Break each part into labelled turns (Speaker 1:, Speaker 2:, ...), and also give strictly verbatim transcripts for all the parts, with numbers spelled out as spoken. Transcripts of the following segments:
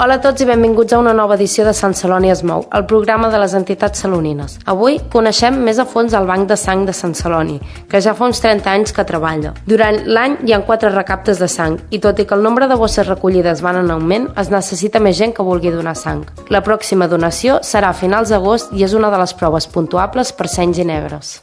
Speaker 1: Hola a tots i benvinguts a una nova edició de Sant Celoni es mou, el programa de les entitats salonines. Avui coneixem més a fons el Banc de Sang de Sant Celoni, que ja fa uns trenta anys que treballa. Durant l'any hi ha quatre recaptes de sang i tot i que el nombre de bosses recollides van en augment, es necessita més gent que vulgui donar sang. La pròxima donació serà a finals d'agost i és una de les proves puntuables per sangs i negres.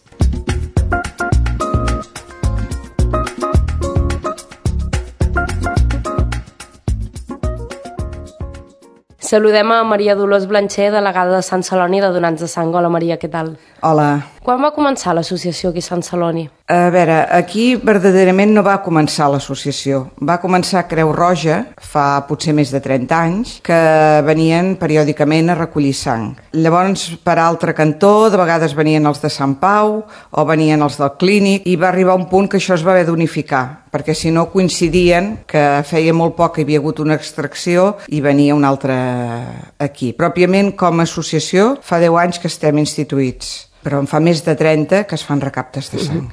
Speaker 1: Saludem a Maria Dolors Blancher, delegada de Sant Celoni de Donants de Sang. Hola Maria, què tal?
Speaker 2: Hola.
Speaker 1: Quan va començar l'associació aquí a Sant Celoni?
Speaker 2: A veure, aquí verdaderament no va començar l'associació. Va començar Creu Roja fa potser més de trenta anys, que venien periòdicament a recollir sang. Llavors, per altre cantó, de vegades venien els de Sant Pau o venien els del Clínic i va arribar un punt que això es va haver d'unificar, perquè si no coincidien que feia molt poc que hi havia hagut una extracció i venia un altre equip. Pròpiament, com a associació, fa deu anys que estem instituïts, però en fa més de trenta que es fan recaptes de sang.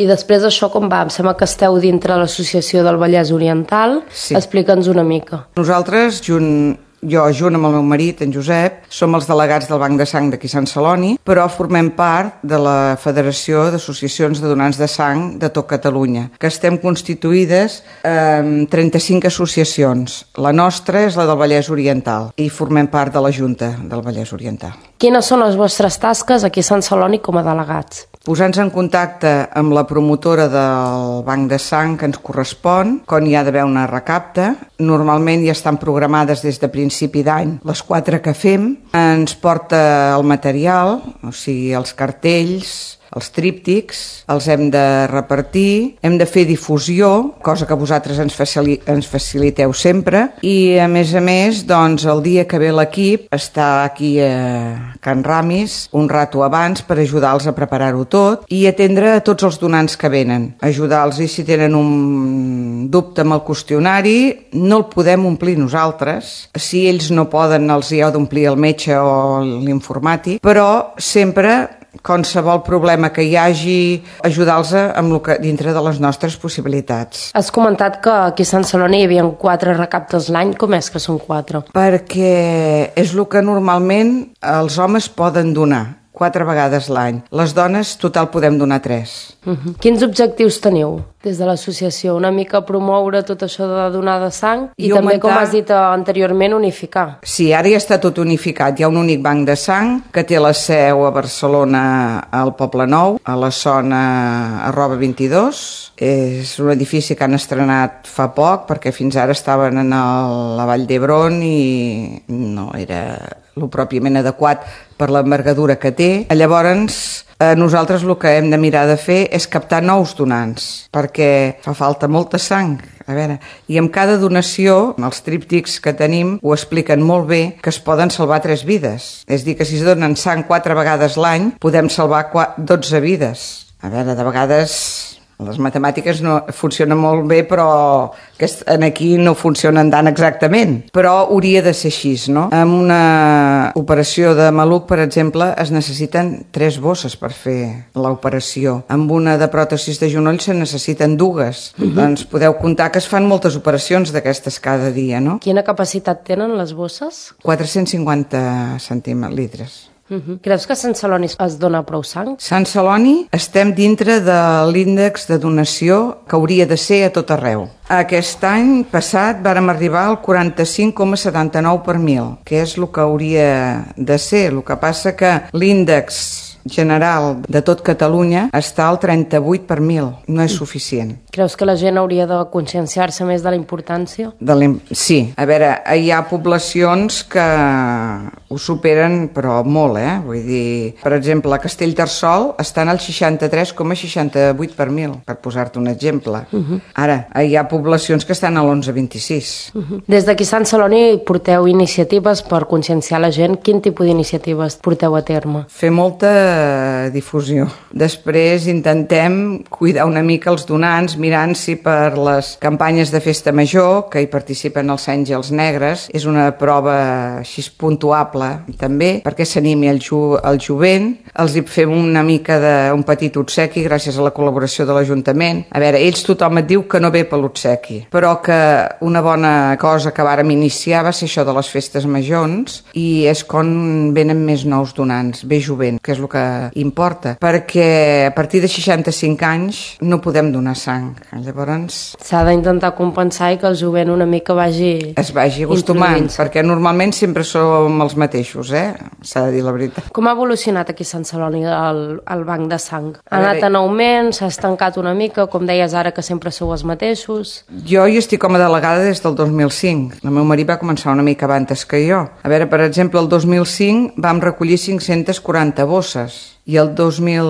Speaker 1: I després d'això com va? Em sembla que esteu dintre l'associació del Vallès Oriental.
Speaker 2: Sí.
Speaker 1: Explica'ns una mica.
Speaker 2: Nosaltres, junt... Jo, junt amb el meu marit, en Josep, som els delegats del Banc de Sang d'aquí Sant Celoni, però formem part de la Federació d'Associacions de Donants de Sang de tot Catalunya, que estem constituïdes amb trenta-cinc associacions. La nostra és la del Vallès Oriental i formem part de la Junta del Vallès Oriental.
Speaker 1: Quines són les vostres tasques aquí a Sant Celoni com a delegats?
Speaker 2: Posar-nos en contacte amb la promotora del Banc de Sang que ens correspon, quan hi ha d'haver una recapta. Normalment ja estan programades des de principi d'any les quatre que fem. Ens porta el material, o sigui, els cartells, els tríptics, els hem de repartir, hem de fer difusió, cosa que vosaltres ens, facili ens faciliteu sempre, i a més a més, doncs, el dia que ve l'equip està aquí a Can Ramis un rato abans per ajudar-los a preparar-ho tot i atendre a tots els donants que venen, ajudar-los i si tenen un dubte amb el qüestionari, no el podem omplir nosaltres, si ells no poden els hi heu d'omplir el metge o l'informàtic, però sempre qualsevol problema que hi hagi, ajudar-los amb el que dintre de les nostres possibilitats.
Speaker 1: Has comentat que aquí a Sant Celoni hi havia quatre recaptes l'any. Com és que són quatre?
Speaker 2: Perquè és el que normalment els homes poden donar, quatre vegades l'any. Les dones, total, podem donar tres.
Speaker 1: Uh-huh. Quins objectius teniu des de l'associació? Una mica promoure tot això de donar de sang i, I també, augmentar... com has dit anteriorment, unificar.
Speaker 2: Sí, ara ja està tot unificat. Hi ha un únic banc de sang que té la seu a Barcelona, al Poble Nou, a la zona arroba vint-i-dos. És un edifici que han estrenat fa poc perquè fins ara estaven a la Vall d'Hebron i no era el pròpiament adequat per l'envergadura que té. Llavors, eh, nosaltres el que hem de mirar de fer és captar nous donants, perquè fa falta molta sang. A veure, i amb cada donació, els tríptics que tenim ho expliquen molt bé, que es poden salvar tres vides. És a dir, que si es donen sang quatre vegades l'any, podem salvar dotze vides. A veure, de vegades... Les matemàtiques no funcionen molt bé, però aquí no funcionen tant exactament. Però hauria de ser així, no? En una operació de maluc, per exemple, es necessiten tres bosses per fer l'operació. Amb una de pròtesis de genoll se necessiten dues. Uh-huh. Doncs podeu comptar que es fan moltes operacions d'aquestes cada dia, no?
Speaker 1: Quina capacitat tenen les bosses?
Speaker 2: quatre-cents cinquanta centilitres.
Speaker 1: Uh-huh. Creus que a Sant Celoni es dona prou sang?
Speaker 2: Sant Celoni estem dintre de l'índex de donació que hauria de ser a tot arreu. Aquest any passat vàrem arribar al quaranta-cinc coma setanta-nou per mil, que és el que hauria de ser. El que passa que l'índex general de tot Catalunya està al trenta-vuit per mil. No és suficient.
Speaker 1: Creus que la gent hauria de conscienciar-se més de la importància?
Speaker 2: De la... Sí. A veure, hi ha poblacions que ho superen, però molt, eh? Vull dir, per exemple, a Castellterçol estan al seixanta-tres coma seixanta-vuit per mil, per posar-te un exemple. Uh-huh. Ara, hi ha poblacions que estan a l'onze coma vint-i-sis. Uh-huh.
Speaker 1: Des d'aquí a Sant Celoni porteu iniciatives per conscienciar la gent. Quin tipus d'iniciatives porteu a terme?
Speaker 2: Fer molta difusió. Després intentem cuidar una mica els donants, mirant si per les campanyes de festa major, que hi participen els Àngels Negres, és una prova així puntuable també, perquè s'animi el, ju el jovent. Els hi fem una mica d'un petit obsequi gràcies a la col·laboració de l'Ajuntament. A veure, ells tothom et diu que no ve per l'obsequi, però que una bona cosa que vàrem iniciar va ser això de les festes majors, i és quan venen més nous donants, ve jovent, que és el que importa, perquè a partir de seixanta-cinc anys no podem donar sang. Llavors
Speaker 1: s'ha d'intentar compensar i que el jovent una mica vagi
Speaker 2: es vagi acostumant, perquè normalment sempre som els mateixos, eh? S'ha de dir la veritat.
Speaker 1: Com ha evolucionat aquí a Sant Celoni el, el banc de sang? Ha anat en augment, s'ha estancat una mica, com deies ara que sempre sou els mateixos?
Speaker 2: Jo hi estic com a delegada des del dos mil cinc. El meu marit va començar una mica abans que jo. A veure, per exemple, el dos mil cinc vam recollir cinc-centes quaranta bosses i el dos mil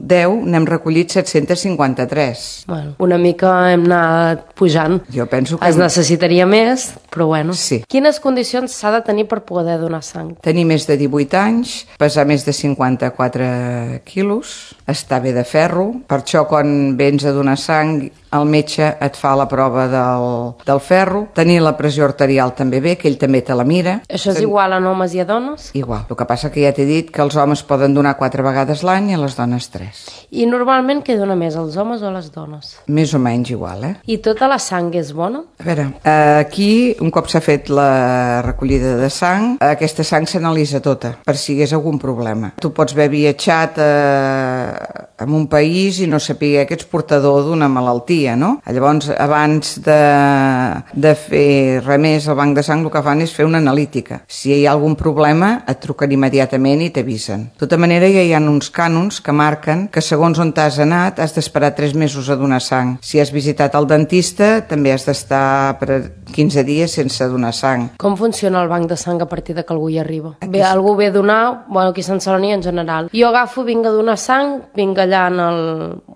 Speaker 2: deu n'hem recollit set-cents cinquanta-tres.
Speaker 1: Bueno, una mica hem anat pujant.
Speaker 2: Jo penso que...
Speaker 1: Es necessitaria més, però bueno.
Speaker 2: Sí.
Speaker 1: Quines condicions s'ha de tenir per poder donar sang?
Speaker 2: Tenir més de divuit anys, pesar més de cinquanta-quatre quilos, estar bé de ferro. Per això quan vens a donar sang el metge et fa la prova del, del ferro. Tenir la pressió arterial també bé, que ell també te la mira.
Speaker 1: Això és Ten... igual en homes i a dones?
Speaker 2: Igual. El que passa que ja t'he dit que els homes poden donar quatre vegades l'any i les dones tres.
Speaker 1: I normalment què dona més, els homes o les dones?
Speaker 2: Més o menys igual, eh?
Speaker 1: I tota la sang és bona?
Speaker 2: A veure, aquí, un cop s'ha fet la recollida de sang, aquesta sang s'analitza tota, per si hi hagués algun problema. Tu pots haver viatjat a, a un país i no saber que ets portador d'una malaltia, no? Llavors, abans de, de fer res més al banc de sang, el que fan és fer una analítica. Si hi ha algun problema, et truquen immediatament i t'avisen. De tota manera, ja hi ha uns cànons que marquen que segons on t'has anat has d'esperar tres mesos a donar sang. Si has visitat el dentista, també has d'estar per quinze dies sense donar sang.
Speaker 1: Com funciona el banc de sang a partir de que algú hi arriba? Aquí... Bé, algú ve a donar, bueno, aquí a Sant Celoni en general. Jo agafo, vinc a donar sang, vinc allà en el,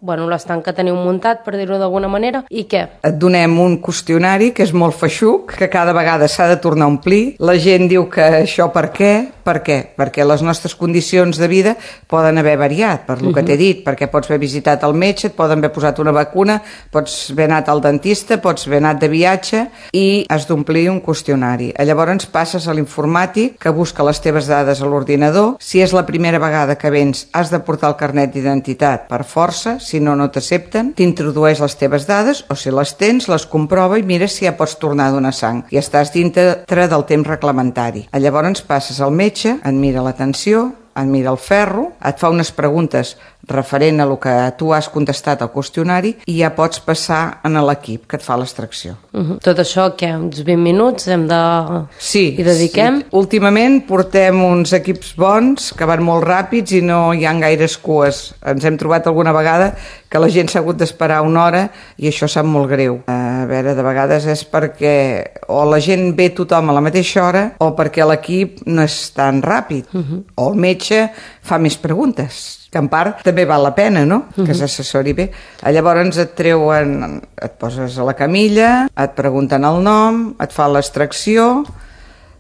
Speaker 1: bueno, l'estanc que teniu muntat, per dir-ho d'alguna manera, i què?
Speaker 2: Et donem un qüestionari que és molt feixuc, que cada vegada s'ha de tornar a omplir. La gent diu que això per què? Per què? Perquè les nostres condicions de vida poden haver variat, per lo uh -huh. que t'he dit, perquè pots haver visitat el metge, et poden haver posat una vacuna, pots haver anat al dentista, pots haver anat de viatge i has d'omplir un qüestionari. Llavors passes a l'informàtic que busca les teves dades a l'ordinador. Si és la primera vegada que vens, has de portar el carnet d'identitat per força, si no, no t'accepten. T'introdueix les teves dades, o si les tens, les comprova i mira si ja pots tornar a donar sang. I estàs dintre del temps reglamentari. Llavors passes al metge, et mira la tensió, et mira el ferro, et fa unes preguntes referent a el que tu has contestat al qüestionari i ja pots passar a l'equip que et fa l'extracció.
Speaker 1: Uh -huh. Tot això, què? Uns vint minuts hem de...
Speaker 2: Sí.
Speaker 1: Hi dediquem?
Speaker 2: Sí. Últimament portem uns equips bons que van molt ràpids i no hi ha gaires cues. Ens hem trobat alguna vegada que la gent s'ha hagut d'esperar una hora i això sap molt greu. A veure, de vegades és perquè o la gent ve tothom a la mateixa hora o perquè l'equip no és tan ràpid. Uh -huh. O el metge fa més preguntes, que en part també val la pena, no?, que uh -huh. s'assessori bé. Llavors et treuen, et poses a la camilla, et pregunten el nom, et fan l'extracció,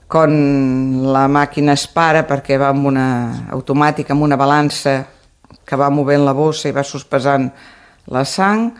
Speaker 2: quan la màquina es para perquè va amb una automàtica, amb una balança que va movent la bossa i va sospesant la sang,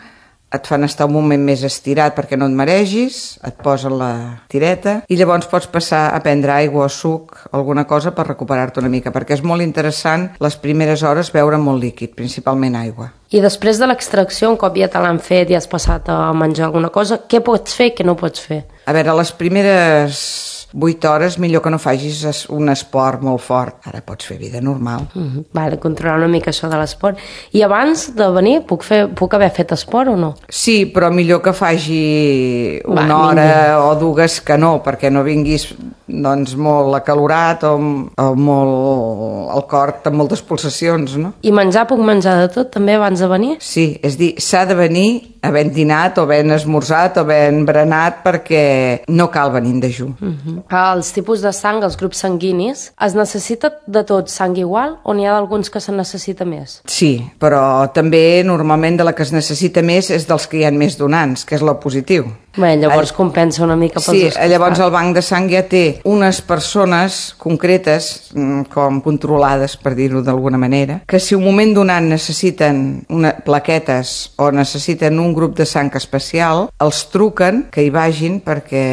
Speaker 2: et fan estar un moment més estirat perquè no et maregis, et posen la tireta i llavors pots passar a prendre aigua o suc, alguna cosa per recuperar-te una mica, perquè és molt interessant les primeres hores beure molt líquid, principalment aigua.
Speaker 1: I després de l'extracció, un cop ja te l'han fet i has passat a menjar alguna cosa, què pots fer i què no pots fer?
Speaker 2: A veure, les primeres vuit hores millor que no facis un esport molt fort. Ara pots fer vida normal.
Speaker 1: Uh -huh. Vale, controlar una mica això de l'esport. I abans de venir puc, fer, puc haver fet esport o no?
Speaker 2: Sí, però millor que faci una Va, hora ningú. o dues que no, perquè no vinguis doncs molt acalorat o, o molt el cor amb moltes pulsacions, no?
Speaker 1: I menjar, puc menjar de tot també abans de venir?
Speaker 2: Sí, és dir, s'ha de venir havent dinat o havent esmorzat o havent berenat perquè no cal venir en dejú.
Speaker 1: Uh -huh. Els tipus de sang, els grups sanguinis, es necessita de tot sang igual o n'hi ha d'alguns que se necessita més?
Speaker 2: Sí, però també normalment de la que es necessita més és dels que hi ha més donants, que és l'O positiu.
Speaker 1: Bé, llavors All... compensa una mica pels
Speaker 2: sí,
Speaker 1: dos costats.
Speaker 2: Llavors el banc de sang ja té unes persones concretes, com controlades, per dir-ho d'alguna manera, que si un moment donat necessiten una, plaquetes o necessiten un grup de sang especial, els truquen que hi vagin perquè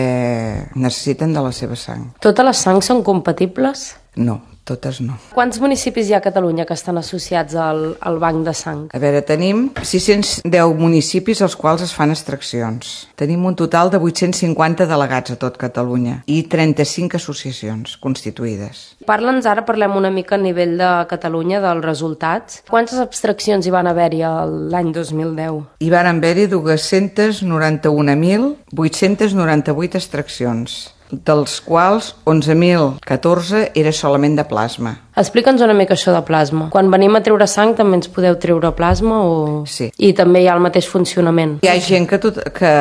Speaker 2: necessiten de la seva sang.
Speaker 1: Totes les sangs són compatibles?
Speaker 2: No, totes no.
Speaker 1: Quants municipis hi ha a Catalunya que estan associats al, al banc de sang?
Speaker 2: A veure, tenim sis-cents deu municipis als quals es fan extraccions. Tenim un total de vuit-cents cinquanta delegats a tot Catalunya i trenta-cinc associacions constituïdes.
Speaker 1: Parla'ns ara, parlem una mica a nivell de Catalunya dels resultats. Quantes abstraccions hi van haver-hi l'any dos mil deu?
Speaker 2: Hi van haver-hi dos-cents noranta-un mil vuit-cents noranta-vuit extraccions, dels quals onze mil catorze era solament de plasma.
Speaker 1: Explica'ns una mica això de plasma. Quan venim a treure sang també ens podeu treure plasma? O...
Speaker 2: Sí.
Speaker 1: I també hi ha el mateix funcionament?
Speaker 2: Hi ha gent que, tot, que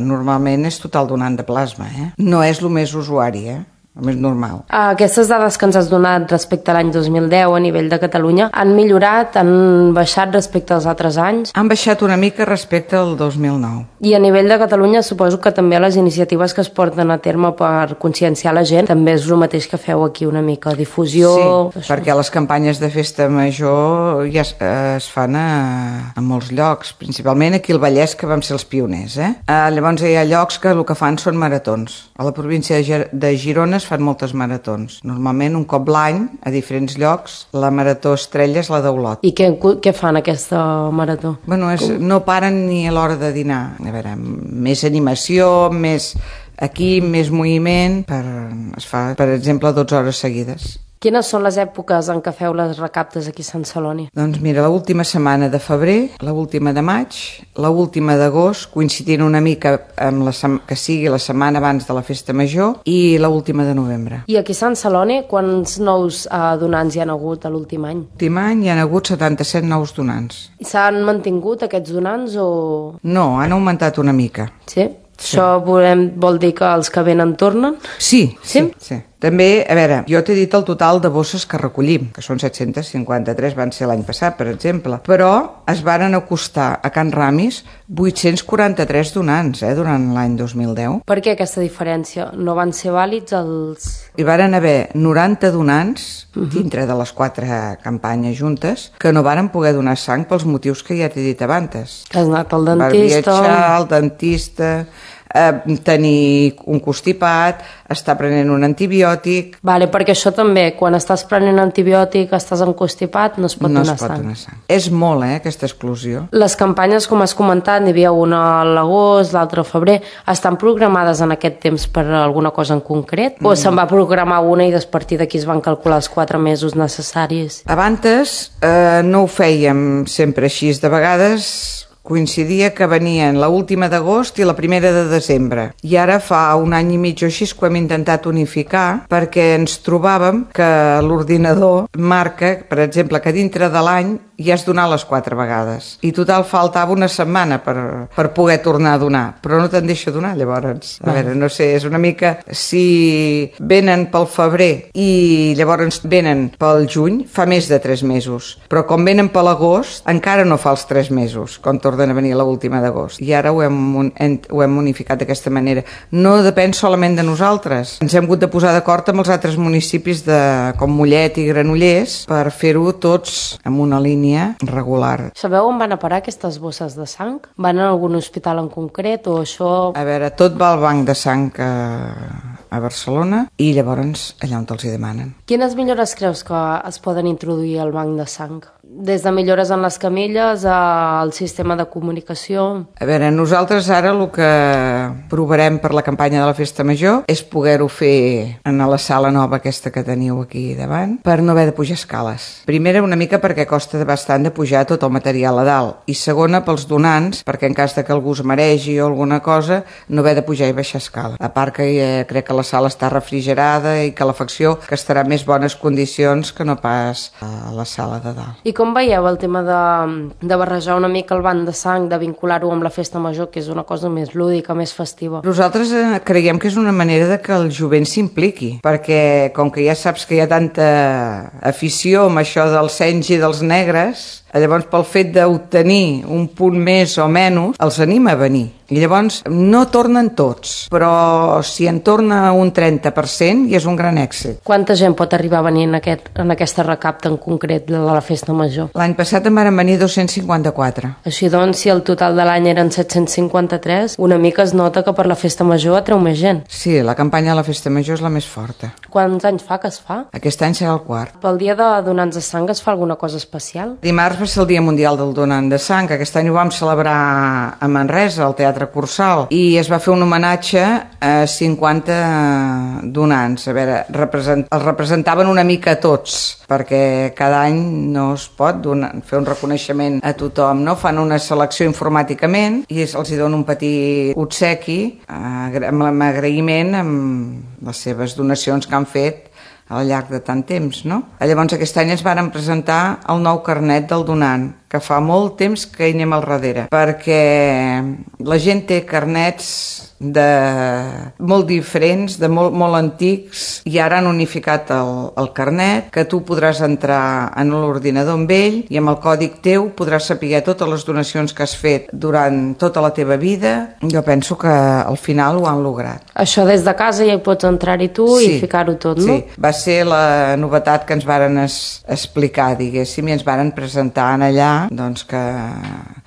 Speaker 2: normalment és total donant de plasma, eh? No és el més usuari, eh? El més normal.
Speaker 1: Aquestes dades que ens has donat respecte a l'any dos mil deu a nivell de Catalunya han millorat, han baixat respecte als altres anys?
Speaker 2: Han baixat una mica respecte al dos mil nou.
Speaker 1: I a nivell de Catalunya suposo que també les iniciatives que es porten a terme per conscienciar la gent també és el mateix que feu aquí una mica, difusió...
Speaker 2: Sí, això. Perquè les campanyes de festa major ja es, es fan a, a molts llocs, principalment aquí al Vallès, que vam ser els pioners. Eh? Uh, llavors hi ha llocs que el que fan són maratons. A la província de, Gir de Girona es fan moltes maratons. Normalment un cop l'any, a diferents llocs, la marató estrella és la d'Olot.
Speaker 1: I què, què fan aquesta marató?
Speaker 2: Bueno, és, no paren ni a l'hora de dinar. A veure, més animació, més aquí, més moviment, per, es fa, per exemple, dotze hores seguides.
Speaker 1: Quines són les èpoques en què feu les recaptes aquí a Sant Celoni?
Speaker 2: Doncs mira, l'última setmana de febrer, l'última de maig, l'última d'agost, coincidint una mica amb la que sigui la setmana abans de la festa major, i l'última de novembre.
Speaker 1: I aquí a Sant Celoni, quants nous eh, donants hi han hagut a l'últim any?
Speaker 2: L'últim any hi ha hagut setanta-set nous donants.
Speaker 1: I s'han mantingut aquests donants o...?
Speaker 2: No, han augmentat una mica.
Speaker 1: Sí? Sí. Això volem, vol dir que els que venen tornen?
Speaker 2: Sí, sí,
Speaker 1: sí.
Speaker 2: sí. També, a veure, jo t'he dit el total de bosses que recollim, que són set-cents cinquanta-tres, van ser l'any passat, per exemple, però es varen acostar a Can Ramis vuit-cents quaranta-tres donants eh, durant l'any dos mil deu.
Speaker 1: Per què aquesta diferència? No van ser vàlids els...
Speaker 2: Hi varen haver noranta donants, uh-huh. dintre de les quatre campanyes juntes, que no varen poder donar sang pels motius que ja t'he dit abans.
Speaker 1: Que has anat al dentista...
Speaker 2: Per viatjar, al dentista... Eh, tenir un constipat, estar prenent un antibiòtic...
Speaker 1: Vale, perquè això també, quan estàs prenent antibiòtic, estàs constipat, no es pot
Speaker 2: no
Speaker 1: donar
Speaker 2: es pot
Speaker 1: sang.
Speaker 2: Donar sang. És molt, eh, aquesta exclusió.
Speaker 1: Les campanyes, com has comentat, n'hi havia una a l'agost, l'altra a febrer, estan programades en aquest temps per alguna cosa en concret? Mm. O se'n va programar una i a partir d'aquí es van calcular els quatre mesos necessaris?
Speaker 2: Abans eh, no ho fèiem sempre així, de vegades... coincidia que venien l'última d'agost i la primera de desembre. I ara fa un any i mig o així que ho hem intentat unificar perquè ens trobàvem que l'ordinador marca, per exemple, que dintre de l'any ja has donat les quatre vegades. I total faltava una setmana per, per poder tornar a donar. Però no te'n deixa donar, llavors. A veure, no sé, és una mica... Si venen pel febrer i llavors venen pel juny, fa més de tres mesos. Però com venen per l'agost, encara no fa els tres mesos, quan tornen a venir l'última d'agost. I ara ho hem, ho hem unificat d'aquesta manera. No depèn solament de nosaltres. Ens hem hagut de posar d'acord amb els altres municipis de, com Mollet i Granollers per fer-ho tots amb una línia regular.
Speaker 1: Sabeu on van a parar aquestes bosses de sang? Van a algun hospital en concret o això...
Speaker 2: A veure, tot va al banc de sang a, a Barcelona i llavors allà on els hi demanen.
Speaker 1: Quines millores creus que es poden introduir al banc de sang? Des de millores en les camilles al sistema de comunicació...
Speaker 2: A veure, nosaltres ara el que provarem per la campanya de la Festa Major és poder-ho fer en la sala nova aquesta que teniu aquí davant per no haver de pujar escales. Primera, una mica perquè costa bastant de pujar tot el material a dalt, i segona, pels donants, perquè en cas de que algú es maregi o alguna cosa, no haver de pujar i baixar escala. A part que eh, crec que la sala està refrigerada i que l'afecció que estarà en més bones condicions que no pas a la sala de dalt.
Speaker 1: I com veieu el tema de, de barrejar una mica el banc de sang, de vincular-ho amb la festa major, que és una cosa més lúdica, més festiva?
Speaker 2: Nosaltres eh, creiem que és una manera de que el jovent s'impliqui, perquè com que ja saps que hi ha tanta afició amb això dels senys i dels negres, llavors pel fet d'obtenir un punt més o menys, els anima a venir. I llavors no tornen tots, però si en torna un trenta per cent ja és un gran èxit.
Speaker 1: Quanta gent pot arribar a venir en, aquest, en aquesta recapta en concret de la festa major?
Speaker 2: L'any passat en van venir dos-cents cinquanta-quatre.
Speaker 1: Així doncs, si el total de l'any eren set-cents cinquanta-tres, una mica es nota que per la festa major atreu més gent.
Speaker 2: Sí, la campanya de la festa major és la més forta.
Speaker 1: Quants anys fa que es fa?
Speaker 2: Aquest any serà el quart.
Speaker 1: Pel dia de donants de sang es fa alguna cosa especial?
Speaker 2: Dimarts va ser el Dia Mundial del Donant de Sang, que aquest any ho vam celebrar a Manresa, al Teatre Cursal, i es va fer un homenatge a cinquanta donants. A veure, represent... els representaven una mica a tots, perquè cada any no es pot donar, fer un reconeixement a tothom, no? Fan una selecció informàticament i els hi donen un petit obsequi amb agraïment amb les seves donacions que han fet al llarg de tant temps, no? Llavors aquest any ens varen presentar el nou carnet del donant, que fa molt temps que hi anem al darrere, perquè la gent té carnets de molt diferents, de molt, molt antics, i ara han unificat el, el carnet, que tu podràs entrar en l'ordinador amb ell i amb el còdig teu podràs saber totes les donacions que has fet durant tota la teva vida. Jo penso que al final ho han lograt.
Speaker 1: Això des de casa ja hi pots entrar-hi tu sí, i ficar-ho tot, no?
Speaker 2: Sí, va ser la novetat que ens varen es, explicar, diguéssim, i ens varen presentar en allà, doncs que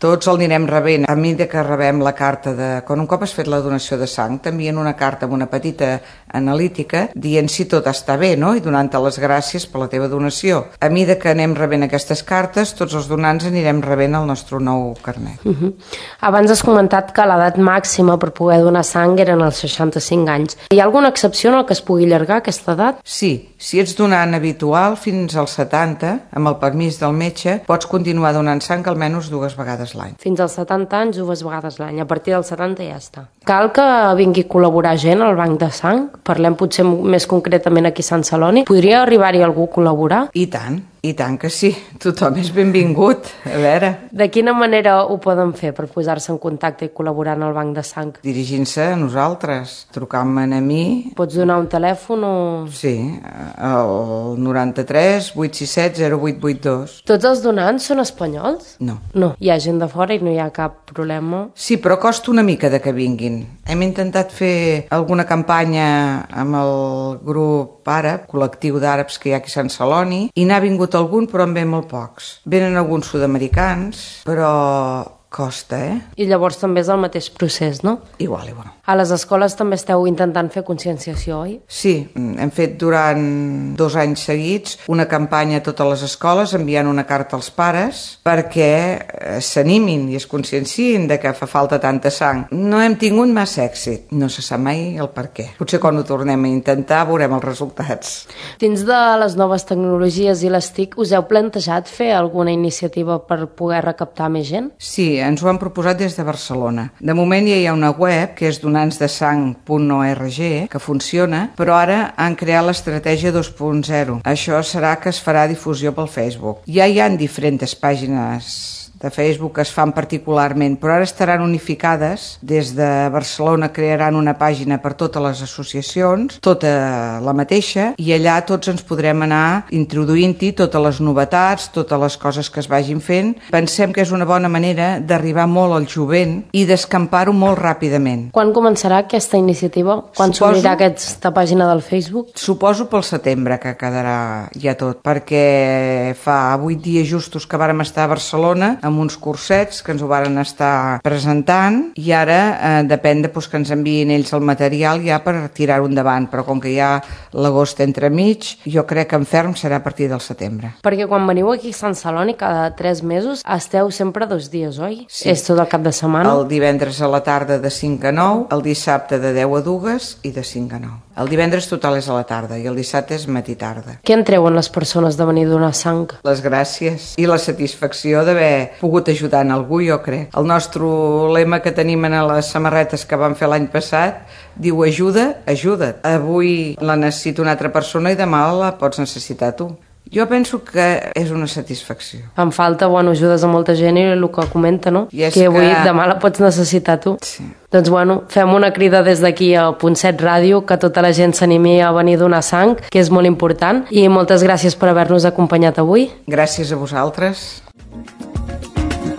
Speaker 2: tots el anirem rebent. A mesura que rebem la carta de... Quan un cop has fet la donació de sang, t'envien una carta amb una petita analítica dient si tot està bé, no? I donant-te les gràcies per la teva donació. A mesura que anem rebent aquestes cartes, tots els donants anirem rebent el nostre nou carnet.
Speaker 1: Uh -huh. Abans has comentat que l'edat màxima per poder donar sang eren els seixanta-cinc anys. Hi ha alguna excepció en el que es pugui allargar aquesta edat?
Speaker 2: Sí, si ets donant habitual fins als setanta, amb el permís del metge, pots continuar donant sang almenys dues vegades l'any.
Speaker 1: Fins als setanta anys, dues vegades l'any. A partir dels setanta ja està. Cal que vingui a col·laborar gent al banc de sang? Parlem potser més concretament aquí a Sant Celoni. Podria arribar-hi algú a col·laborar?
Speaker 2: I tant. I tant que sí, tothom és benvingut, a veure.
Speaker 1: De quina manera ho poden fer per posar-se en contacte i col·laborar en el banc de sang?
Speaker 2: Dirigint-se a nosaltres, trucant-me a mi.
Speaker 1: Pots donar un telèfon o...?
Speaker 2: Sí, el noranta-tres vuit sis set zero vuit vuit dos.
Speaker 1: Tots els donants són espanyols?
Speaker 2: No.
Speaker 1: No, hi ha gent de fora i no hi ha cap problema?
Speaker 2: Sí, però costa una mica de que vinguin. Hem intentat fer alguna campanya amb el grup àrab, col·lectiu d'àrabs que hi ha aquí a Sant Celoni, i n'ha vingut algun, però en ve molt pocs. Venen alguns sud-americans, però costa, eh?
Speaker 1: I llavors també és el mateix procés, no?
Speaker 2: Igual, igual.
Speaker 1: A les escoles també esteu intentant fer conscienciació, oi?
Speaker 2: Sí, hem fet durant dos anys seguits una campanya a totes les escoles enviant una carta als pares perquè s'animin i es conscienciïn de que fa falta tanta sang. No hem tingut massa èxit, no se sap mai el per què. Potser quan ho tornem a intentar veurem els resultats.
Speaker 1: Dins de les noves tecnologies i les T I C, us heu plantejat fer alguna iniciativa per poder recaptar més gent?
Speaker 2: Sí, ens ho han proposat des de Barcelona. De moment ja hi ha una web que és donants de sang punt org que funciona, però ara han creat l'estratègia dos punt zero. Això serà que es farà difusió pel Facebook. Ja hi ha diferents pàgines de Facebook que es fan particularment, però ara estaran unificades. Des de Barcelona crearan una pàgina per totes les associacions, tota la mateixa, i allà tots ens podrem anar introduint-hi totes les novetats, totes les coses que es vagin fent. Pensem que és una bona manera d'arribar molt al jovent i d'escampar-ho molt ràpidament.
Speaker 1: Quan començarà aquesta iniciativa? Quan s'obrirà aquesta pàgina del Facebook?
Speaker 2: Suposo pel setembre que quedarà ja tot, perquè fa vuit dies justos que vàrem estar a Barcelona amb uns cursets que ens ho varen estar presentant, i ara eh, depèn de pues, que ens enviïn ells el material ja per tirar-ho endavant, però com que hi ha l'agost entremig, jo crec que en ferm serà a partir del setembre.
Speaker 1: Perquè quan veniu aquí a Sant Celoni cada tres mesos esteu sempre dos dies, oi?
Speaker 2: Sí.
Speaker 1: És tot el cap de setmana?
Speaker 2: El divendres a la tarda de cinc a nou, el dissabte de deu a dues i de cinc a nou. El divendres total és a la tarda i el dissabte és matí-tarda.
Speaker 1: Què en treuen les persones de venir a donar sang?
Speaker 2: Les gràcies i la satisfacció d'haver pogut ajudar en algú, jo crec. El nostre lema que tenim en les samarretes que vam fer l'any passat diu ajuda, ajuda't. Avui la necessita una altra persona i demà la pots necessitar tu. Jo penso que és una satisfacció.
Speaker 1: Em falta, bueno, ajudes a molta gent i el que comenta, no?
Speaker 2: I
Speaker 1: que avui,
Speaker 2: que...
Speaker 1: demà la pots necessitar tu.
Speaker 2: Sí.
Speaker 1: Doncs, bueno, fem una crida des d'aquí a Punt set Ràdio, que tota la gent s'animi a venir a donar sang, que és molt important, i moltes gràcies per haver-nos acompanyat avui.
Speaker 2: Gràcies a vosaltres.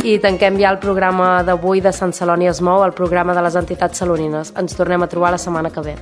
Speaker 1: I tanquem ja el programa d'avui de Sant Celoni es mou, el programa de les entitats salonines. Ens tornem a trobar la setmana que ve.